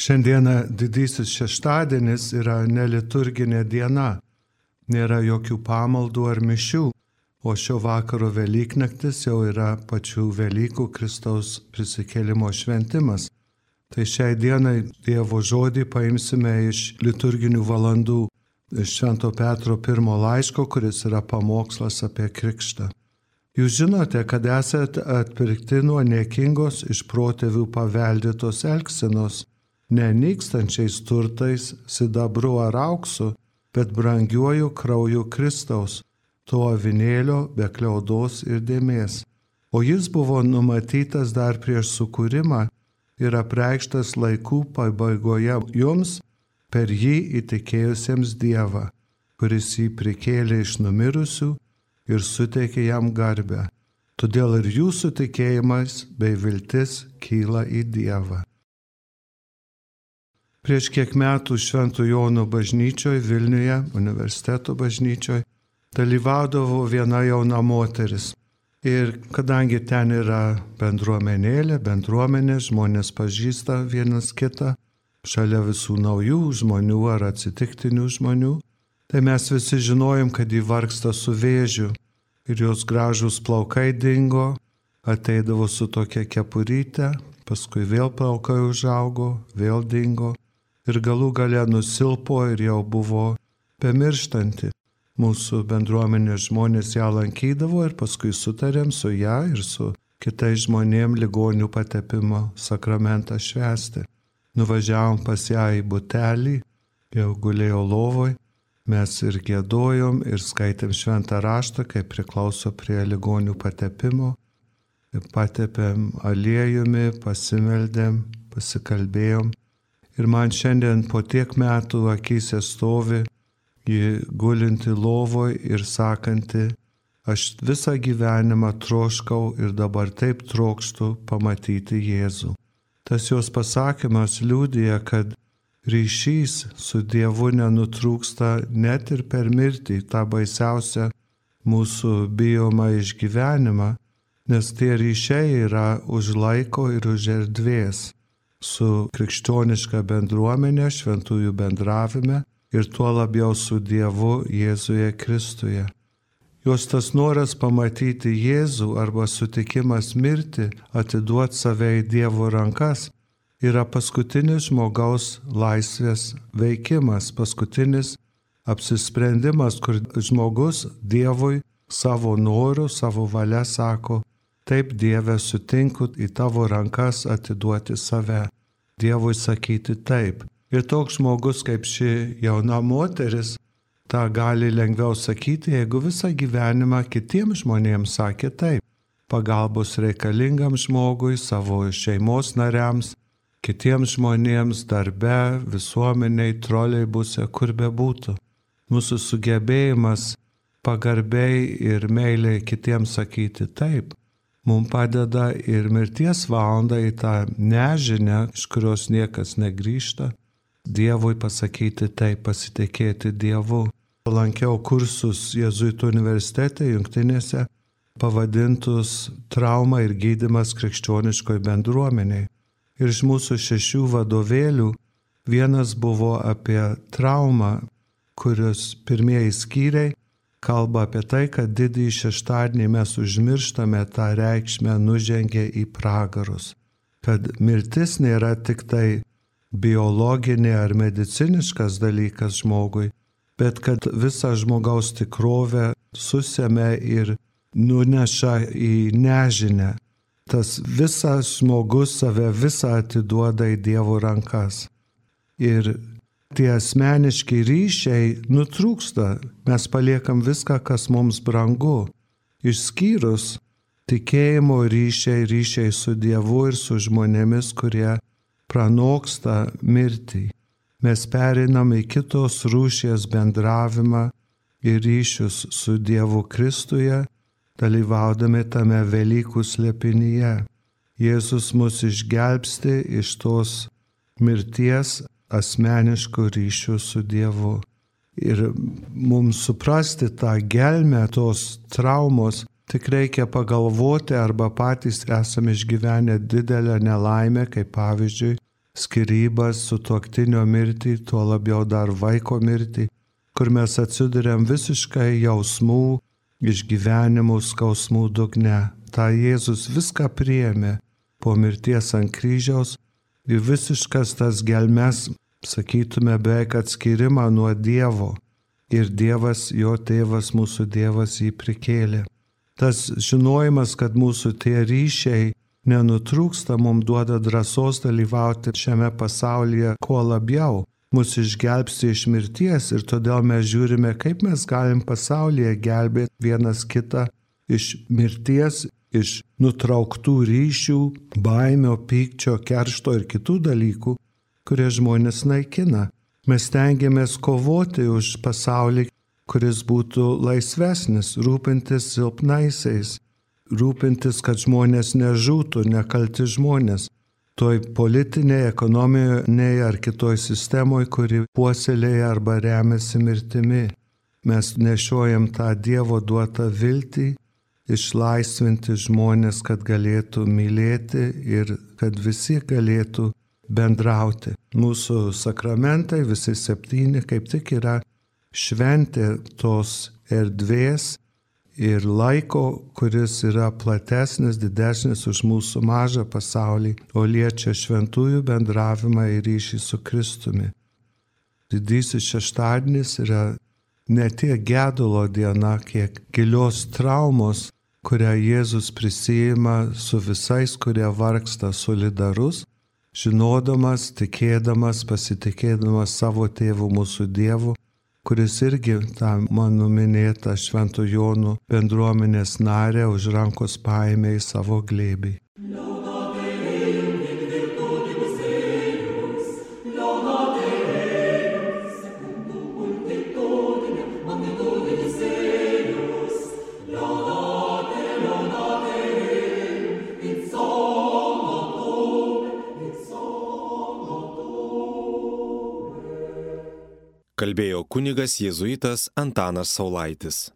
Šiandieną didysis šeštadienis yra neliturginė diena. Nėra jokių pamaldų ar mišių, o šio vakaro Velyknaktis jau yra pačių Velykų Kristaus prisikėlimo šventimas. Tai šiai dienai Dievo žodį paimsime iš liturginių valandų, iš Švento Petro pirmo laiško, kuris yra pamokslas apie krikštą. Jūs žinote, kad esate atpirkti nuo niekingos iš protėvių paveldėtos elgsenos, ne nykstančiais turtais, sidabru ar auksu, bet brangiuoju krauju Kristaus, to avinėlio be kliaudos ir dėmės. O jis buvo numatytas dar prieš sukūrimą ir apreikštas laikų pabaigoje jums, per jį įtikėjusiems Dievą, kuris jį prikėlė iš numirusių ir suteikė jam garbę. Todėl ir jūsų tikėjimas bei viltis kyla į Dievą. Prieš kiek metų Švento Jono bažnyčioje Vilniuje, universiteto bažnyčioje, dalyvaudavo viena jauna moteris. Ir kadangi ten yra bendruomenė, žmonės pažįsta vienas kitą, šalia visų naujų žmonių ar atsitiktinių žmonių, tai mes visi žinojom, kad ji vargsta su vėžiu ir jos gražūs plaukai dingo, ateidavo su tokia kepuryte, paskui vėl plaukai užaugo, vėl dingo ir galų gale nusilpo ir jau buvo bemirštanti. Mūsų bendruomenės žmonės ją lankydavo ir paskui sutarėm su ją ir su kitais žmonėm ligonių patepimo sakramentą švęsti. Nuvažiavom pas ją į butelį, jau gulėjo lovoj, mes ir giedojom ir skaitėm šventą raštą, kaip priklauso prie ligonių patepimo. Patepėm aliejumi, pasimeldėm, pasikalbėjom. Ir man šiandien po tiek metų akyse stovi ji gulinti lovoj ir sakanti, aš visą gyvenimą troškau ir dabar taip trokštu pamatyti Jėzų. Tas jos pasakymas liudija, kad ryšys su Dievu nenutrūksta net ir per mirtį, tą baisiausią mūsų bijomą išgyvenimą, nes tie ryšiai yra už laiko ir už erdvės su krikščioniška bendruomenė, šventųjų bendravime ir tuo labiau su Dievu Jėzuje Kristuje. Jos tas noras pamatyti Jėzų arba sutikimas mirti, atiduoti save į Dievo rankas, yra paskutinis žmogaus laisvės veikimas, paskutinis apsisprendimas, kur žmogus Dievui savo noru, savo valia sako, taip Dieve sutinku į tavo rankas atiduoti save, Dievui sakyti taip. Ir toks žmogus kaip ši jauna moteris, tą gali lengviau sakyti, jeigu visą gyvenimą kitiems žmonėms sakė taip. Pagalbos reikalingam žmogui, savo šeimos nariams, kitiems žmonėms, darbe, visuomeniai, troleibuse, kur bebūtų. Mūsų sugebėjimas pagarbiai ir meiliai kitiems sakyti taip, mums padeda ir mirties valandą į tą nežinią, iš kurios niekas negrįžta, Dievui pasakyti taip, pasitikėti Dievu. Lankiau kursus Jėzuitų universitete Jungtinėse, pavadintus Trauma ir gydymas krikščioniškoj bendruomeniai. Ir iš mūsų 6 vadovėlių vienas buvo apie traumą, kurios pirmieji skyriai kalba apie tai, kad didįjį šeštadienį mes užmirštame tą reikšmę nužengę į pragarus. Kad mirtis nėra tik tai biologinė ar mediciniškas dalykas žmogui, bet kad visą žmogaus tikrovę susėmė ir nuneša į nežinę. Tas visas žmogus save visą atiduoda į Dievo rankas. Ir tie asmeniški ryšiai nutrūksta. Mes paliekam viską, kas mums brangu. Išskyrus tikėjimo ryšiai su Dievu ir su žmonėmis, kurie pranoksta mirtį. Mes pereinam į kitos rūšies bendravimą ir ryšius su Dievu Kristuje, dalyvaudami tame Velykų slėpinyje. Jėzus mus išgelbsti iš tos mirties asmeniškų ryšių su Dievu. Ir mums suprasti tą gelmę tos traumos, tik reikia pagalvoti arba patys esame išgyvenę didelę nelaimę, kaip pavyzdžiui, skyrybas, sutuoktinio mirtį, tuo labiau dar vaiko mirtį, kur mes atsiduriam visiškai jausmų, išgyvenimų, skausmų dugne. Ta Jėzus viską priėmė po mirties ant kryžiaus ir visiškas tas gelmes, sakytume, beveik atskyrimą nuo Dievo. Ir Dievas, jo tėvas, mūsų Dievas jį prikėlė. Tas žinojimas, kad mūsų tie ryšiai nenutrūksta, mums duoda drąsos dalyvauti šiame pasaulyje kuo labiau. Mus išgelbsti iš mirties ir todėl mes žiūrime, kaip mes galim pasaulyje gelbėti vienas kitą iš mirties, iš nutrauktų ryšių, baimio, pykčio, keršto ir kitų dalykų, kurie žmonės naikina. Mes stengiamės kovoti už pasaulį, kuris būtų laisvesnis, rūpintis silpnaisiais, rūpintis, kad žmonės nežūtų, nekalti žmonės. Toj politinėje, ekonominėje ar kitoj sistemoje, kuri puoselėja arba remiasi mirtimi. Mes nešiojam tą Dievo duotą viltį, išlaisvinti žmonės, kad galėtų mylėti ir kad visi galėtų bendrauti. Mūsų sakramentai, visi 7, kaip tik yra šventė tos erdvės ir laiko, kuris yra platesnis, didesnis už mūsų mažą pasaulį, o liečia šventųjų bendravimą ir ryšį su Kristumi. Didysis šeštadienis yra ne tiek gedulo diena, kiek gilios traumos, kurią Jėzus prisijima su visais, kurie vargsta, solidarus, žinodamas, tikėdamas, pasitikėdamas savo tėvu mūsų Dievu, kuris irgi tą mano minėtą Švento Jono bendruomenės narę už rankos paėmė į savo glėbį. Kalbėjo kunigas jėzuitas Antanas Saulaitis.